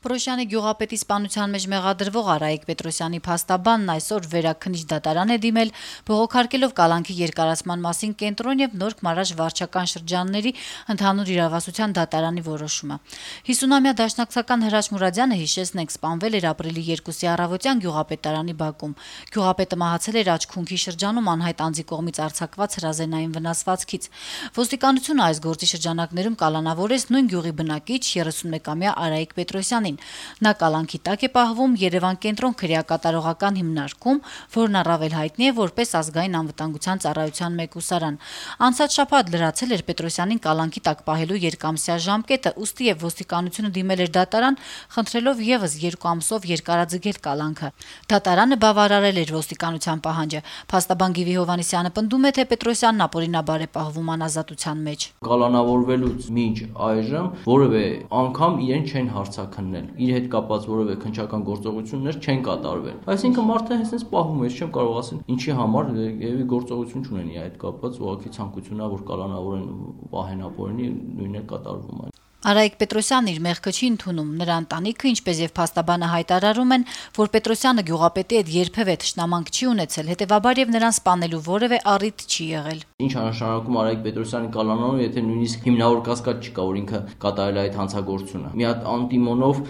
Պրոշյանի գյուղապետի սպանության մեջ մեղադրվող Արայիկ Պետրոսյանի փաստաբանն այսօր վերաքննիչ դատարան է դիմել, բողոքարկելով կալանքի երկարացման մասին կենտրոն եւ Նորք Մարաշ վարչական շրջանների ընդհանուր իրավասության դատարանի որոշումը։ 50-ամյա դաշնակցական Հրաչ Մուրադյանը հիշեցնենք սպանվել էր ապրիլի 2-ի առավոտյան գյուղապետարանի բակում։ Գյուղապետը մահացել էր աչքունքի շրջանում անհայտ անձի կողմից արձակված հրազենային վնասվածքից։ Ոստիկանությունը այս գործի շրջանակներում կալանավորեց նույն գյուղի բնակիչ 31-ամյա Արայիկ Պետրոսյանին։ Նա կալանքի տակ է պահվում Երևան կենտրոն քրեակատարողական հիմնարկում, որն առավել հայտնի է որպես ազգային անվտանգության ծառայության մեկուսարան։ Անցած շաբաթ լրացել էր Պետրոսյանին կալանքի տակ պահելու երկամսյա ժամկետը, ուստի եւ ոստիկանությունը դիմել էր դատարան, խնդրելով եւս 2 ամսով երկարաձգել կալանքը։ Դատարանը բավարարել էր ոստիկանության պահանջը։ Փաստաբան Գիվի Հովհաննիսյանը պնդում է, թե Պետրոսյանն ապօրինաբար է պահվում անազատության մեջ։ Կալանավորվելուց մինչ այժմ որևէ անգամ իրեն չեն հարցաքննել, իր հետ կապված որևէ քննչական գործողություններ չեն կատարվել։ Այսինքն մարդը հենց պահվում է, չեմ կարող ասել ինչի համար, եւի գործողություն չունեն իր հետ կապված, ուղղակի ցանկությունն է, որ կալանավորեն, պահեն ապօրինի, նույնն է կատարվում է։ Արայիկ Պետրոսյանն իր մեղքը չի ընդունում, նրա ընտանիքը, ինչպես եւ փաստաբանը հայտարարում են, որ Պետրոսյանը գյուղապետի հետ երբևէ թշնամանք չի ունեցել, հետեւաբար եւ նրան սպանելու որևէ առիթ չի եղել։ Ինչ նշանակում Արայիկ Պետրոսյանի կալանավորումը, եթե նույնիսկ հիմնավոր կասկած չկա, որ ինքը կատարել է այդ հանցագործությունը։ Մի հատ անտիմոնով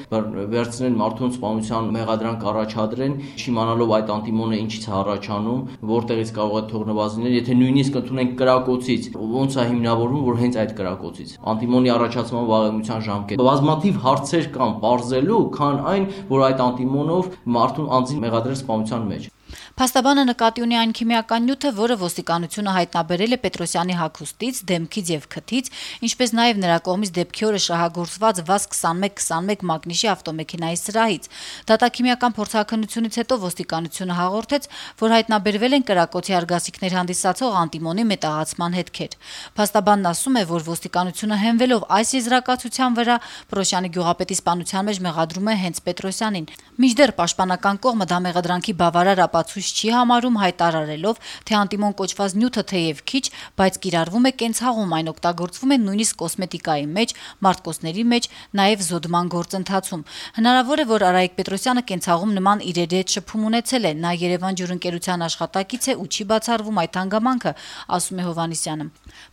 վերցնեն մարդուն սպանության մեղադրանք առաջադրեն, չիմանալով այդ անտիմոնը ինչից է առաջանում, որտեղից կարող է թողնված լինել, եթե նույնիսկ ընդունենք կրակոցից, ոնց է հիմնավորվում, որ հենց այդ կրակոցից։ Անտիմոնի առաջացման վաղեմության ժամկետ։ Բազմաթիվ հարցեր կան բարձելու, քան այն, որ այդ անտիմոնով մարդուն անձին մեղադրել սպանության մեջ։ Փաստաբանը նկատի ունի այն քիմիական նյութը, որը ոստիկանությունը հայտնաբերել է Պետրոսյանի հագուստից, դեմքից եւ քթից, ինչպես նաեւ նրա կողմից դեպքի օրը շահագործված VAZ-21-21 մագնիշի ավտոմեքենայի սրահից։ Դատաքիմիական փորձաքննությունից հետո ոստիկանությունը հաղորդեց, որ հայտնաբերվել են կրակոցի արգասիքներ հանդիսացող անտիմոնի մետաղացման հետքեր։ Փաստաբանն ասում է, որ ոստիկանությունը հենվելով այս եզրակացության վրա Պրոշյանի գյուղապետի սպանության մեջ մեղադրում է հենց Պետրոսյանին։ Մինչդեռ պաշտպանական կողմը դա մեղադրանքի բավարար ապացույց չի համարում, հայտարարելով, թե անտիմոն կոչված նյութը թեև քիչ, բայց կիրառվում է կենցաղում, այն օգտագործվում է նույնիսկ կոսմետիկայի մեջ, մարտկոցների մեջ, նաև զոդման գործընթացում։ Հնարավոր է, որ Արայիկ Պետրոսյանը կենցաղում նման իրերի հետ շփում ունեցել է, նա Երևան ջուրընկերության աշխատակից է ու չի բացառվում այդ հանգամանքը, ասում է Հովհաննիսյանը։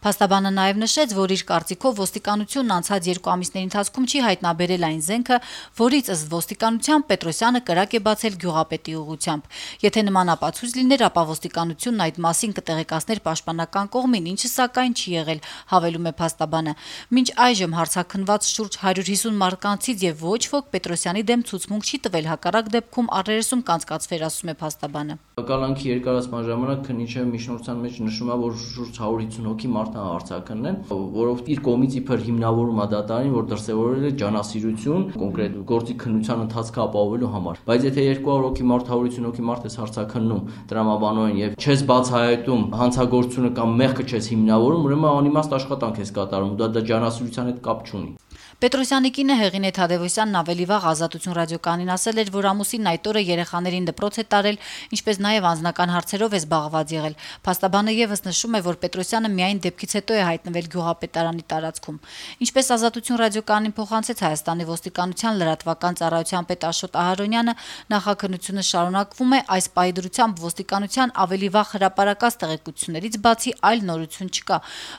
Փաստաբանը նաև նշեց, որ իր կարծիքով ոստիկանությունն անցած 2 ամիսների ընթացքում չի հայտնաբերել այն զենքը, որից ըստ ոստիկանության Պետրոսյանը կրակ է բացել գյուղապետի ուղղությամբ։ Եթե նման ապացույց լիներ, ապա ոստիկանությունն այդ մասին կտեղեկացներ պաշտպանական կողմին, ինչը սակայն չի եղել, հավելում է փաստաբանը։ Մինչ այժմ հարցաքննված շուրջ 150 մարկանցից եւ ոչ ոք Պետրոսյանի դեմ ցուցմունք չի տվել, հակառակ դեպքում առերեսում կանցկացվեր, ասում է փաստաբանը։ Կալանքի երկարացման ժամանակ քննիչը միջնորդության մեջ նշում է, որ շուրջ 150 հոգի մարդ հարցաքննեն, որով իր կողմից իբր հիմնավորում է դատարանին, որ դրսևորել է ջանասիրություն կոնկրետ գործի քննության ընթացքը ապահովելու համար։ Բայց եթե 200 հոգի մարդ, 150 հոգի մարդ ես հարցաքննում տրամաբանորեն եւ չես բացահայտում հանցագործությունը կամ մեղքը չես հիմնավորում, ուրեմն անիմաստ աշխատանք ես կատարում, դա ջանասիրության հետ կապ չունի։ Պետրոսյանի կինը Հեղինե Թադևոսյանն ավելի վաղ Ազատություն ռադիոկայանին ասել էր, որ ամուսինն այդ օրը երեխաներին դպրոց է տարել, ինչպես նաև անձնական հարցերով է զբաղված եղել։ Փաստաբանը եւս նշում է, որ Պետրոսյանը միայն դեպքից հետո է հայտնվել գյուղապետարանի տարածքում։ Ինչպես Ազատություն ռադիոկայանին փոխանցեց Հայաստանի ոստիկանության լրատվական ծառայության պետ Աշոտ Ահարոնյանը, նախաքննությունը շարունակվում է, այս պայդրությամբ ոստիկանության ավելի վաղ հրապարակած տեղեկություններից բացի այլ նորություն չկա։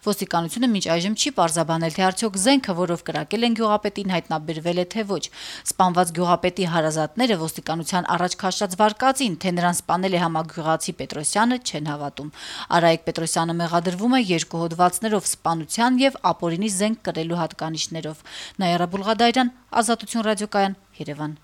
Ոստիկանությունը մինչ այժմ չի պարզաբանել, թե արդյոք զենքը, որով կրակել գյուղապետին հայտնաբերվել է թե ոչ։ Սպանված գյուղապետի հարազատները ոստիկանության առաջ քաշած վարկածին, թե նրան սպանել է համագյուղացի Պետրոսյանը, չեն հավատում։ Արայիկ Պետրոսյանը մեղադրվում է 2 հոդվածներով սպանության եւ ապօրինի զենք կրելու հատկանիշներով։ Նայարա Բուլղադարյան, Ազատություն ռադիոկայան, Երևան։